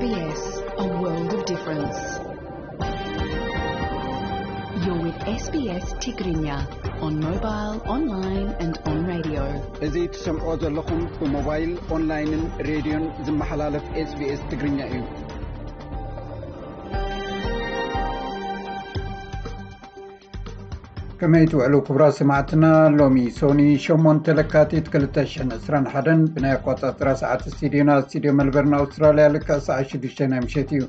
S B S, a world of difference. You're with S B S Tigrinya on mobile, online and on radio. እዚ ትሰምዖ ዘለኹም ብሞባይል፣ ኦንላይንን ሬድዮን ዝመሓላለፍ S B S ትግርኛ እዩ። ከመይ ትውዕሉ ክቡራት ሰማዕትና? ሎሚ ሶኒ ሸሞንተ ለካቲት ክልተ ሽሕን ዕስራን ሓደን ብናይ ኣቆጻጽራ ሰዓት ስቱዲዮና፣ ስቱዲዮ መልበርን ኣውስትራልያ፣ ልክዕ ሰዓት ሽዱሽተ ናይ ምሸት እዩ።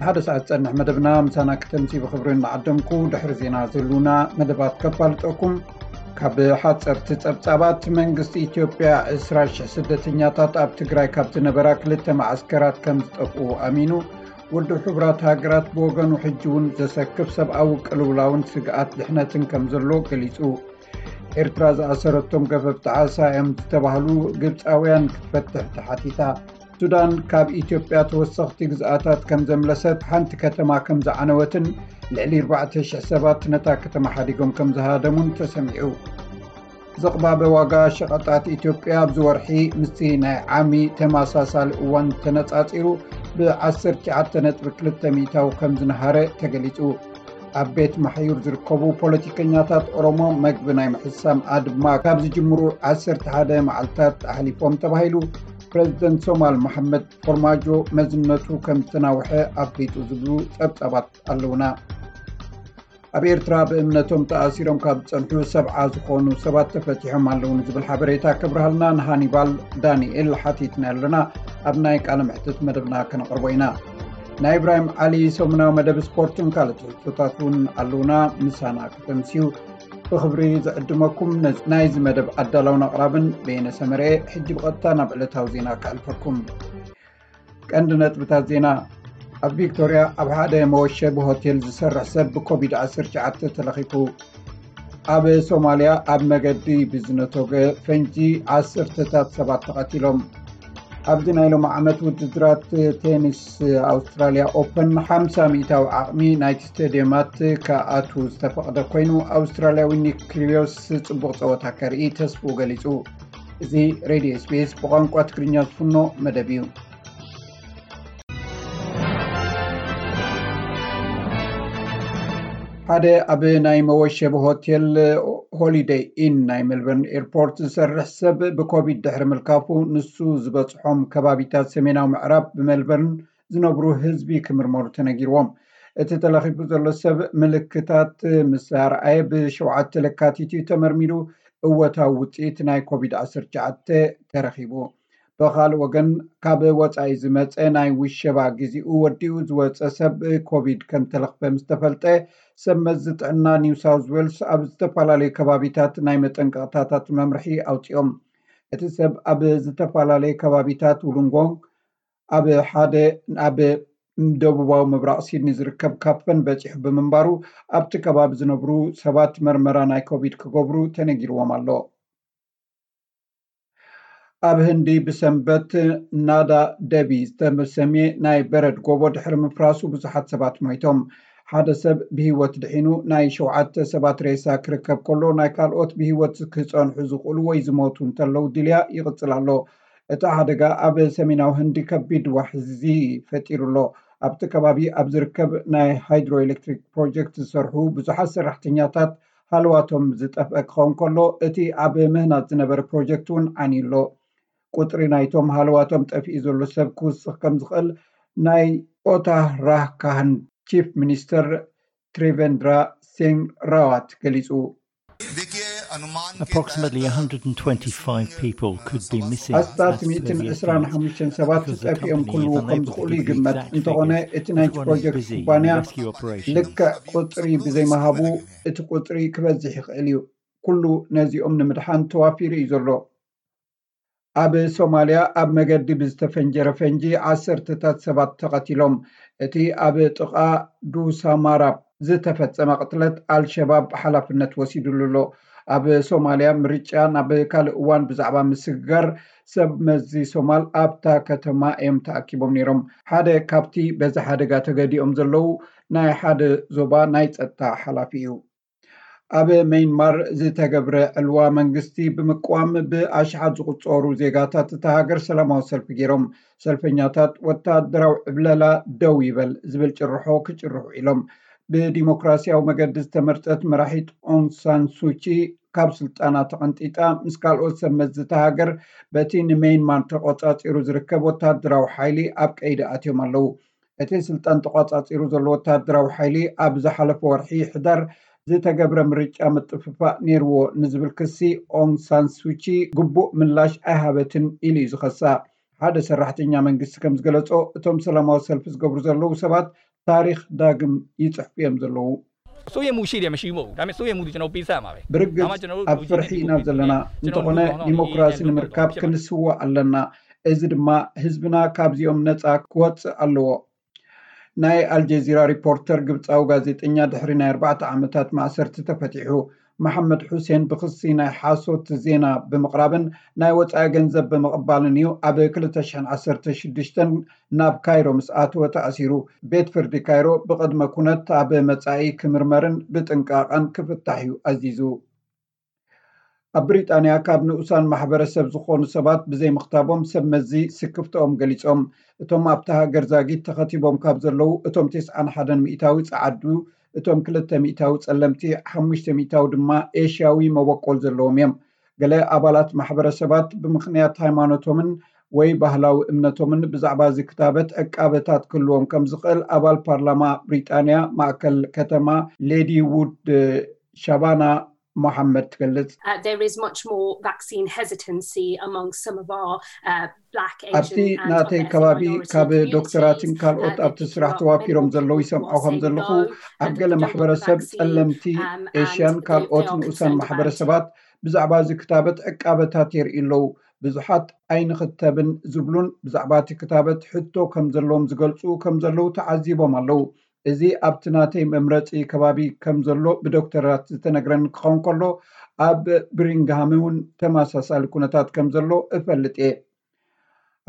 ንሓደ ሰዓት ዝጸንሕ መደብና ምሳና ክተምሲ ብኽብሪ እናዓደምኩ፣ ድሕሪ ዜና ዘሉና መደባት ከፋልጠኩም። ካብ ሓጸርቲ ጸብጻባት፣ መንግስቲ ኢትዮጵያ ዕስራ ሽሕ ስደተኛታት ኣብ ትግራይ ካብ ዝነበራ ክልተ መዓስከራት ከም ዝጠፍኡ ኣሚኑ። ውድብ ሕቡራት ሃገራት ብወገኑ፣ ሕጂ እውን ዘሰክፍ ሰብኣዊ ቅልውላውን ስግኣት ድሕነትን ከም ዘሎ ገሊጹ። ኤርትራ ዝኣሰረቶም ገፈፍቲ ዓሳ እዮም ዝተባህሉ ግብጻውያን ክትፈትሕ ተሓቲታ። ሱዳን ካብ ኢትዮጵያ ተወሰኽቲ ግዝኣታት ከም ዘምለሰት፣ ሓንቲ ከተማ ከም ዝዓነወትን ልዕሊ ኣርባዕተ ሽሕ ሰባት ነታ ከተማ ሓዲጎም ከም ዝሃደሙን ተሰሚዑ። ዝቕባበ ዋጋ ሸቐጣት ኢትዮጵያ ኣብዚ ወርሒ ምስቲ ናይ ዓሚ ተመሳሳሊ እዋን ተነጻጺሩ ብ ዓሰርተ ትሽዓተ ነጥቢ ክልተ ሚእታዊ ከም ዝነሃረ ተገሊጹ። ኣብ ቤት ማሕዩር ዝርከቡ ፖለቲከኛታት ኦሮሞ መግቢ ናይ ምሕሳም ኣድማ ካብ ዝጅምሩ ዓሰርተ ሓደ መዓልታት ኣሕሊፎም ተባሂሉ። ፕረዚደንት ሶማል መሓመድ ፎርማጆ መዝነቱ ከም ዝተናውሐ ኣፍሊጡ ዝብሉ ጸብጻባት ኣለውና። ኣብ ኤርትራ ብእምነቶም ተኣሲሮም ካብ ዝጸንሑ ሰብዓ ዝኾኑ ሰባት ተፈቲሖም ኣለዉ ንዝብል ሓበሬታ ከብርሃልና ንሃኒባል ዳንኤል ሓቲትና ኣለና። ኣብ ናይ ቃለ መሕትት መደብና ከነቕርቦ ኢና። ናይ ኢብራሂም ዓሊ ሰሙናዊ መደብ ስፖርትን ካልእ ትሕዝቶታት እውን ኣለውና። ምሳና ከተምስዩ ብኽብሪ ዝዕድመኩም ነዚ፣ ናይዚ መደብ ኣዳላውን ኣቕራብን በየነ ሰመርኤ። ሕጂ ብቐጥታ ናብ ዕለታዊ ዜና ከዕልፈኩም። ቀንዲ ነጥብታት ዜና። ኣብ ቪክቶርያ ኣብ ሓደ መወሸቢ ሆቴል ዝሰርሕ ሰብ ብኮቪድ ዓሰርተ ትሽዓተ ተለኺፉ። ኣብ ሶማልያ ኣብ መገዲ ብዝነቶገ ፈንጂ ዓሰርተታት ሰባት ተቐቲሎም። ኣብዚ ናይ ሎሚ ዓመት ውድድራት ቴኒስ ኣውስትራልያ ኦፐን ሓምሳ ሚእታዊ ዓቕሚ ናይቲ ስቴድየማት ክኣቱ ዝተፈቕደ ኮይኑ፣ ኣውስትራልያዊ ኒክ ኪሪዮስ ጽቡቕ ጸወታ ከርኢ ተስፍኡ ገሊጹ። እዚ ሬድዮ ኤስ ቢ ኤስ ብቋንቋ ትግርኛ ዝፍኖ መደብ እዩ። ሓደ ኣብ ናይ መወሸቢ ሆቴል ሆሊደይ ኢን ናይ ሜልበርን ኤርፖርት ዝሰርሕ ሰብ ብኮቪድ ድሕሪ ምልካፉ፣ ንሱ ዝበጽሖም ከባቢታት ሰሜናዊ ምዕራብ ብሜልበርን ዝነብሩ ህዝቢ ክምርመሩ ተነጊርዎም። እቲ ተለኺፉ ዘሎ ሰብ ምልክታት ምስ ኣርኣየ፣ ብሸውዓተ ለካቲት እዩ ተመርሚሩ እወታዊ ውጽኢት ናይ ኮቪድ ዓሰርተ ትሽዓተ ተረኺቡ። ብኻልእ ወገን፣ ካብ ወጻኢ ዝመጸ ናይ ውሸባ ግዜኡ ወዲኡ ዝወጸ ሰብ ኮቪድ ከም ተለኽፈ ምስ ተፈልጠ፣ ሰብ መዚ ጥዕና ኒው ሳውዝ ዌልስ ኣብ ዝተፈላለዩ ከባቢታት ናይ መጠንቀቕታታት መምርሒ ኣውጺኦም። እቲ ሰብ ኣብ ዝተፈላለዩ ከባቢታት ውሉንጎንግ፣ ኣብ ሓደ ኣብ ደቡባዊ ምብራቕ ሲድኒ ዝርከብ ካፈን በጺሑ ብምንባሩ፣ ኣብቲ ከባቢ ዝነብሩ ሰባት መርመራ ናይ ኮቪድ ክገብሩ ተነጊርዎም ኣሎ። ኣብ ህንዲ ብሰንበት ናዳ ደቢ ዝተሰምየ ናይ በረድ ጎቦ ድሕሪ ምፍራሱ ብዙሓት ሰባት ሞይቶም። ሓደ ሰብ ብህይወት ድሒኑ፣ ናይ ሸውዓተ ሰባት ሬሳ ክርከብ ከሎ፣ ናይ ካልኦት ብህይወት ክጸንሑ ዝኽእሉ ወይ ዝሞቱ እንተለዉ ድልያ ይቕጽል ኣሎ። እቲ ሓደጋ ኣብ ሰሜናዊ ህንዲ ከቢድ ዋሕዚ ፈጢሩ ኣሎ። ኣብቲ ከባቢ ኣብ ዝርከብ ናይ ሃይድሮ ኤሌክትሪክ ፕሮጀክት ዝሰርሑ ብዙሓት ሰራሕተኛታት ሃለዋቶም ዝጠፍአ ክኸውን ከሎ፣ እቲ ኣብ ምህናጽ ዝነበረ ፕሮጀክት እውን ዓንዩ ኣሎ። ቁጽሪ ናይቶም ሃለዋቶም ጠፊኡ ዘሎ ሰብ ክውስኽ ከም ዝኽእል ናይ ኦታራካህን ቺፍ ሚኒስተር ትሪቬንድራ ሲንግ ራዋት ገሊጹ። Approximately one hundred twenty-five people could be missing. ኣስታት ሚእትን ዕስራን ሓሙሽተን ሰባት ጠፊኦም ክህልዉ ከም ዝኽእሉ ይግመት። እንተኾነ፣ እቲ ናይቲ ፕሮጀክት ኩባንያ ልክዕ ቁጽሪ ብዘይምሃቡ፣ እቲ ቁጽሪ ክበዝሕ ይኽእል እዩ። ኩሉ ነዚኦም ንምድሓን ተዋፊሩ እዩ ዘሎ። ኣብ ሶማልያ ኣብ መገዲ ብዝተፈንጀረ ፈንጂ ዓሰርተታት ሰባት ተቐቲሎም። እቲ ኣብ ጥቓ ዱሳማራብ ዝተፈጸመ ቅትለት ኣልሸባብ ሓላፍነት ወሲዱሉ ኣሎ። ኣብ ሶማልያ ምርጫ ናብ ካልእ እዋን ብዛዕባ ምስግጋር ሰብ መዚ ሶማል ኣብታ ከተማ እዮም ተኣኪቦም ነይሮም። ሓደ ካብቲ በዚ ሓደጋ ተገዲኦም ዘለዉ ናይ ሓደ ዞባ ናይ ጸጥታ ሓላፊ እዩ። ኣብ ሜይንማር ዝተገብረ ዕልዋ መንግስቲ ብምቅዋም ብኣሽሓት ዝቑጸሩ ዜጋታት እታ ሃገር ሰላማዊ ሰልፊ ገይሮም። ሰልፈኛታት ወታደራዊ ዕብለላ ደው ይበል ዝብል ጭርሖ ክጭርሑ ኢሎም። ብዲሞክራሲያዊ መገዲ ዝተመርጸት መራሒት ኦንግ ሳን ሱቺ ካብ ስልጣና ተቐንጢጣ ምስ ካልኦት ሰብ መዚ እታ ሃገር በቲ ንሜይንማር ተቆጻጺሩ ዝርከብ ወታደራዊ ሓይሊ ኣብ ቀይዲ ኣትዮም ኣለዉ። እቲ ስልጣን ተቋጻጺሩ ዘሎ ወታደራዊ ሓይሊ ኣብ ዝሓለፈ ወርሒ ሕዳር ዝተገብረ ምርጫ ምጥፍፋእ ነይርዎ ንዝብል ክሲ ኦንግ ሳን ሱቺ ግቡእ ምላሽ ኣይሃበትን ኢሉ እዩ ዝኸሳ። ሓደ ሰራሕተኛ መንግስቲ ከም ዝገለጾ እቶም ሰላማዊ ሰልፊ ዝገብሩ ዘለዉ ሰባት ታሪኽ ዳግም ይጽሕፉ እዮም ዘለዉ። စိုးရိမ်မှုရှိတယ်မရှိဘူးဒါပေမဲ့စိုးရိမ်မှုဒီကျွန်တော်ပေးဆပ်မှာပဲ ብርግጽ ኣብ ፍርሒ ኢና ዘለና። እንተኾነ ዲሞክራሲ ንምርካብ ክንስዋእ ኣለና። እዚ ድማ ህዝብና ካብዚኦም ነጻ ክወጽእ ኣለዎ። ናይ ኣልጀዚራ ሪፖርተር ግብጻዊ ጋዜጠኛ ድሕሪ ናይ ኣርባዕተ ዓመታት ማእሰርቲ ተፈቲሑ። መሓመድ ሑሴን ብኽሲ ናይ ሓሶት ዜና ብምቕራብን ናይ ወጻኢ ገንዘብ ብምቕባልን እዩ ኣብ ክልተ ሽሕን ዓሰርተ ሽዱሽተን ናብ ካይሮ ምስ ኣተወ ተኣሲሩ። ቤት ፍርዲ ካይሮ ብቕድመ ኩነት ኣብ መጻኢ ክምርመርን ብጥንቃቐን ክፍታሕ እዩ ኣዚዙ። ኣብ ብሪጣንያ ካብ ንኡሳን ማሕበረሰብ ዝኾኑ ሰባት ብዘይምኽታቦም ሰብ መዚ ስክፍተኦም ገሊጾም። እቶም ኣብታ ሃገር ዛጊት ተኸቲቦም ካብ ዘለዉ እቶም ተስዓን ሓደን ሚእታዊ ጸዓዱ፣ እቶም ክልተ ሚእታዊ ጸለምቲ፣ ሓሙሽተ ሚእታዊ ድማ ኤሽያዊ መበቆል ዘለዎም እዮም። ገለ ኣባላት ማሕበረሰባት ብምኽንያት ሃይማኖቶምን ወይ ባህላዊ እምነቶምን ብዛዕባ እዚ ክታበት ዕቃበታት ክህልዎም ከም ዝኽእል ኣባል ፓርላማ ብሪጣንያ ማእከል ከተማ ሌዲ ውድ ሻባና ሞሓመድ ትገልጽ። Uh, there is much more vaccine hesitancy among some of our uh, black, ኣብቲ ናተይ ከባቢ ካብ ዶክተራትን ካልኦት ኣብቲ ስራሕ ተዋፊሮም ዘለዉ ይሰምዖ ከም ዘለኹ፣ ኣብ ገለ ማሕበረሰብ ጸለምቲ ኤሽያን ካልኦት ንኡሳን ማሕበረሰባት ብዛዕባ እዚ ክታበት ዕቃበታት የርእዩ ኣለዉ። ብዙሓት ኣይንኽተብን ዝብሉን ብዛዕባ እቲ ክታበት ሕቶ ከም ዘለዎም ዝገልጹ ከም ዘለዉ ተዓዚቦም ኣለዉ። እዚ ኣብቲ ናተይ መምረጺ ከባቢ ከም ዘሎ ብዶክተራት ዝተነግረኒ ክኸውን ከሎ፣ ኣብ ብሪንግሃም እውን ተመሳሳሊ ኩነታት ከም ዘሎ እፈልጥ እየ።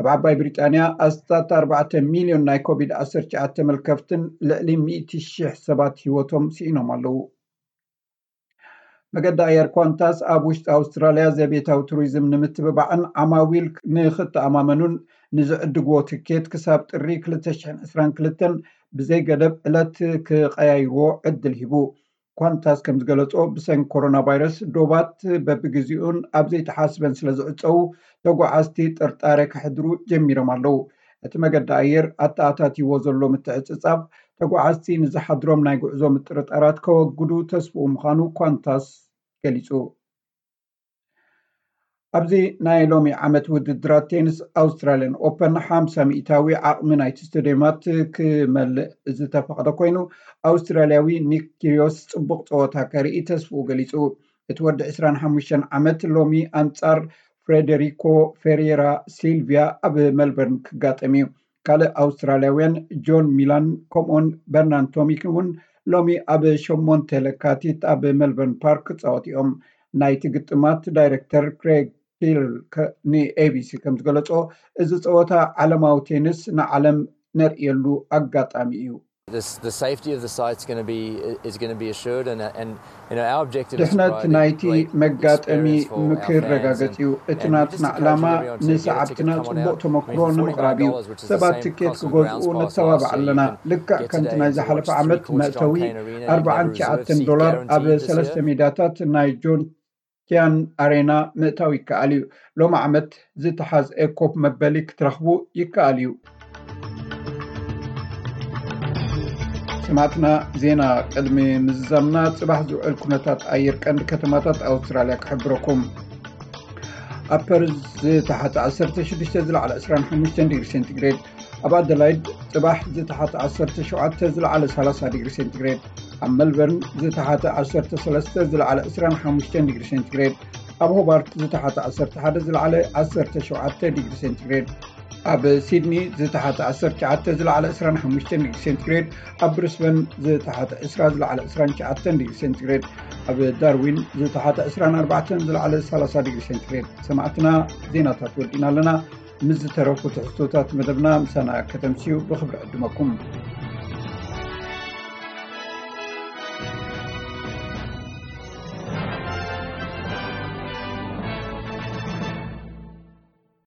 ኣብ ዓባይ ብሪጣንያ ኣስታት ኣርባዕተ ሚልዮን ናይ ኮቪድ ዓሰርተ ትሽዓተ ተመልከፍትን ልዕሊ ሚእቲ ሽሕ ሰባት ህይወቶም ስኢኖም ኣለዉ። መገዲ ኣየር ኳንታስ ኣብ ውሽጢ ኣውስትራልያ ዘቤታዊ ቱሪዝም ንምትብባዕን ዓማዊል ንክተኣማመኑን ንዝዕድግዎ ትኬት ክሳብ ጥሪ ክልተ ሽሕን ዕስራን ክልተን ብዘይ ገደብ ዕለት ክቀያይርዎ ዕድል ሂቡ። ኳንታስ ከም ዝገለጾ፣ ብሰንኪ ኮሮና ቫይረስ ዶባት በብግዜኡን ኣብ ዘይተሓስበን ስለ ዝዕጸዉ፣ ተጓዓዝቲ ጥርጣረ ከሕድሩ ጀሚሮም ኣለዉ። እቲ መገዲ ኣየር ኣተኣታትይዎ ዘሎ ምትዕጽጻፍ፣ ተጓዓዝቲ ንዝሓድሮም ናይ ጉዕዞ ምጥርጣራት ከወግዱ ተስፍኡ ምዃኑ ኳንታስ ገሊጹ። ኣብዚ ናይ ሎሚ ዓመት ውድድራት ቴኒስ ኣውስትራልያን ኦፐን ሓምሳ ሚእታዊ ዓቕሚ ናይቲ ስቴድየማት ክመልእ ዝተፈቕደ ኮይኑ፣ ኣውስትራልያዊ ኒክ ኪሪዮስ ጽቡቕ ጸወታ ከርኢ ተስፍኡ ገሊጹ። እቲ ወዲ ዕስራን ሓሙሽተን ዓመት ሎሚ ኣንጻር ፍሬደሪኮ ፌሬራ ሲልቪያ ኣብ መልበርን ክጋጠም እዩ። ካልእ ኣውስትራልያውያን ጆን ሚላን ከምኡውን በርናን ቶሚክ እውን ሎሚ ኣብ ሸሞንተ ለካቲት ኣብ መልበርን ፓርክ ክጻወት እዮም። ናይቲ ግጥማት ዳይረክተር ክሬግ ፒል ንኤቢሲ ከም ዝገለጾ፣ እዚ ጸወታ ዓለማዊ ቴኒስ ንዓለም ነርእየሉ ኣጋጣሚ እዩ። ድሕነት ናይቲ መጋጠሚ ምክረጋገጽ እዩ። እቲ ናትና ዕላማ ንሰዓብትና ጽቡቕ ተመክሮ ንምቕራብ እዩ። ሰባት ትኬት ክገዝኡ ንተባብዕ ኣለና። ልክዕ ከምቲ ናይ ዝሓለፈ ዓመት መእተዊ ኣርባዓን ትሽዓተን ዶላር ኣብ ሰለስተ ሜዳታት ናይ ጆን ኪያን ኣሬና ምእታው ይከኣል እዩ። ሎሚ ዓመት ዝተሓዝአ ኮፕ መበሊ ክትረኽቡ ይከኣል እዩ። ሰማዕትና፣ ዜና ቅድሚ ምዝዛምና ጽባሕ ዝውዕል ኩነታት ኣየር ቀንዲ ከተማታት ኣውስትራልያ ክሕብረኩም። ኣብ ፐርዝ ዝተሓተ ዓሰርተ ሽዱሽተ ዝለዓለ ዕስራን ሓሙሽተን ዲግሪ ሴንቲግሬድ፣ ኣብ ኣደላይድ ጽባሕ ዝተሓተ ዓሰርተ ሸውዓተ ዝለዓለ ሰላሳ ዲግሪ ሴንቲግሬድ፣ ኣብ መልበርን ዝተሓተ ዓሰርተ ሰለስተ ዝለዓለ ዕስራን ሓሙሽተን ዲግሪ ሴንቲግሬድ፣ ኣብ ሆባርት ዝተሓተ ዓሰርተ ሓደ ዝለዓለ ዓሰርተ ሸውዓተ ዲግሪ ሴንቲግሬድ፣ ኣብ ሲድኒ ዝተሓተ ዓሰርተ ትሽዓተ ዝለዓለ ዕስራን ሓሙሽተን ዲግሪ ሴንቲግሬድ፣ ኣብ ብሪስበን ዝተሓተ ዕስራ ዝለዓለ ዕስራን ትሽዓተን ዲግሪ ሴንቲግሬድ፣ ኣብ ዳርዊን ዝተሓተ ዕስራን ኣርባዕተን ዝለዓለ ሰላሳ ዲግሪ ሴንቲግሬድ። ሰማዕትና፣ ዜናታት ወዲእና ኣለና። ምስ ዝተረፉ ትሕዝቶታት መደብና ምሳና ከተምስዩ ብኽብሪ ዕድመኩም።